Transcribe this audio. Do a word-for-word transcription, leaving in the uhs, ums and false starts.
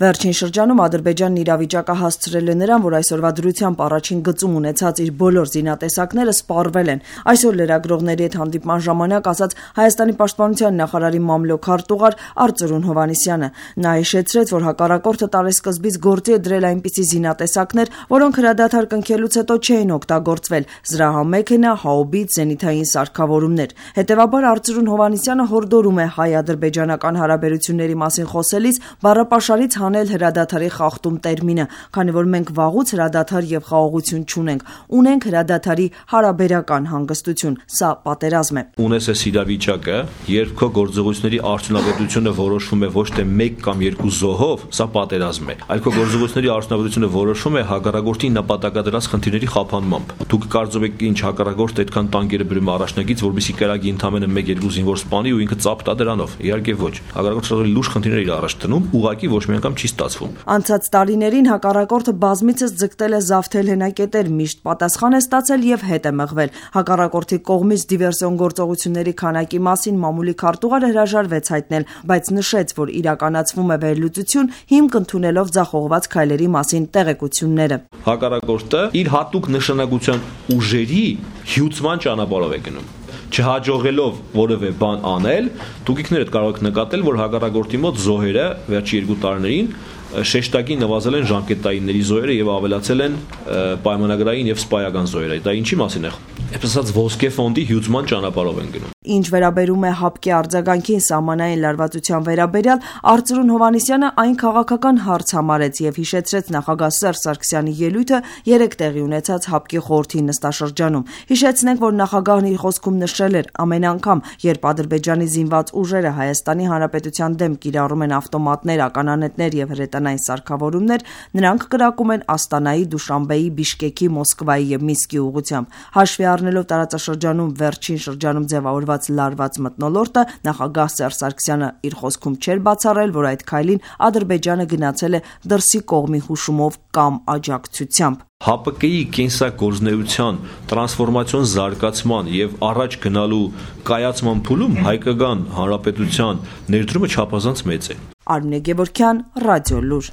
Վերջին շրջանում Ադրբեջանն իրավիճակը հասցրել է նրան, որ այսօրվա դրությամբ առաջին գծում ունեցած իր բոլոր զինատեսակները սպառվել են։ Այսօր լրագրողների հետ հանդիպման ժամանակ ասաց Հայաստանի պաշտպանության նախարարի մամլոք արտուղար Արծրուն Հովհաննիսյանը։ Նա հիշեցրեց, որ հակառակորդը տարեսկզբից գործի է դրել այնպիսի զինատեսակներ, որոնք հրադադար կնքելուց հետո չէին օգտագործվել՝ զրահամեքենա, հաուբից, զենիթային սարքավորումներ։ Հետևաբար Արծրուն Հովհաննիսյանը հորդորում է հայ-ադրբեջանական հարաբերությունների մասին խոսելիս բառապաշարից հանել հրադադարի խախտում տերմինը, քանի որ մենք վաղուց հրադադար եւ խաղաղություն չունենք, ունենք հրադադարի հարաբերական հանգստություն, սա պատերազմ է։ Ունես այս իրավիճակը, երբ քո գործողությունների արդյունավետությունը որոշվում է ոչ թե մեկ կամ երկու զոհով, սա պատերազմ է, այլ քո գործողությունների արդյունավետությունը որոշվում է հակառակորդի նպատակադրած խնդիրների խափանմամբ։ Դուք կարծում եք ինչ հակառակորդը այդքան տանկերը բերում առաջնագից, որովհետեւ կրակի ընդամենը մեկ երկու զինվոր սպանի ու ինքը ծափ տա դրանով։ Իհարկե ոչ։ Հակառակորդը շատ լուրջ խնդիրներ իր առաջ դնում, ուղղակի ոչ մի անգամ չի ստացվում։ Անցած տարիներին հակառակորդը բազմիցս ձգտել է զավթել հենակետեր, միշտ պատասխան է ստացել եւ հետ է մղվել։ Հակառակորդի կողմից դիվերսիոն գործողությունների քանակի մասին մամուլի քարտուղարը հրաժարվեց հայտնել, բայց նշեց, որ իրականացվում է վերլուծություն, հիմք ընդունելով ձախողված քայլերի մասին տեղեկությունները։ Հակառակորդը իր հատուկ նշանակության ուժերի հյուծման ճանապարհով է գնում։ Չհաջողելով որևէ բան անել, դուք ինքներդ կարող եք նկատել, որ հակառակորդի մոտ զոհերը վերջի երկու տարիներին շեշտակի նվազել են ժամկետայինների զոհերը եւ ավելացել են պայմանագրային եւ սպայական զոհերը։ Դա ինչի մասին է։ Այսպես ասած ոսկե ֆոնդի հյուծման ճանապարհով են գնում։ Ինչ վերաբերում է ՀԱՊԿ-ի արձագանքին սահմանային լարվածության վերաբերյալ, Արծրուն Հովհաննիսյանը այն քաղաքական հարց համարեց եւ հիշեցրեց նախագահ Սերժ Սարգսյանի ելույթը երեկ տեղի ունեցած ՀԱՊԿ-ի խորհրդի նստաշրջանում։ Հիշեցնենք, որ նախագահն իր խոսքում նշել էր, ամեն անգամ, երբ Ադրբեջանի զինված ուժերը Հայաստանի Հանրապետության դեմ կիրառում են ավտոմատներ, ականանետներ եւ հրետանային սարքավորումներ, նրանք կրակում են Աստանայի, Դուշանբեի, Բիշկեկի, Մոսկվայի եւ Մինսկի ուղղությամբ։ Հաշվի առնելով տարածաշրջանում վերջին շրջանում ձևավորված լարված մթնոլորտը, նախագահ Սերժ Սարգսյանը իր խոսքում չէր բացառել, որ այդ քայլին Ադրբեջանը գնացել է դրսի կողմի հուշումով կամ աջակցությամբ։ ՀԱՊԿ-ի կենսագործունեության տրանսֆորմացիոն զարգացման եւ առաջ գնալու կայացման փուլում հայկական հանրապետության ներդրումը չափազանց մեծ է։ Արմինե Գևորգյան, Ռադիոլուր։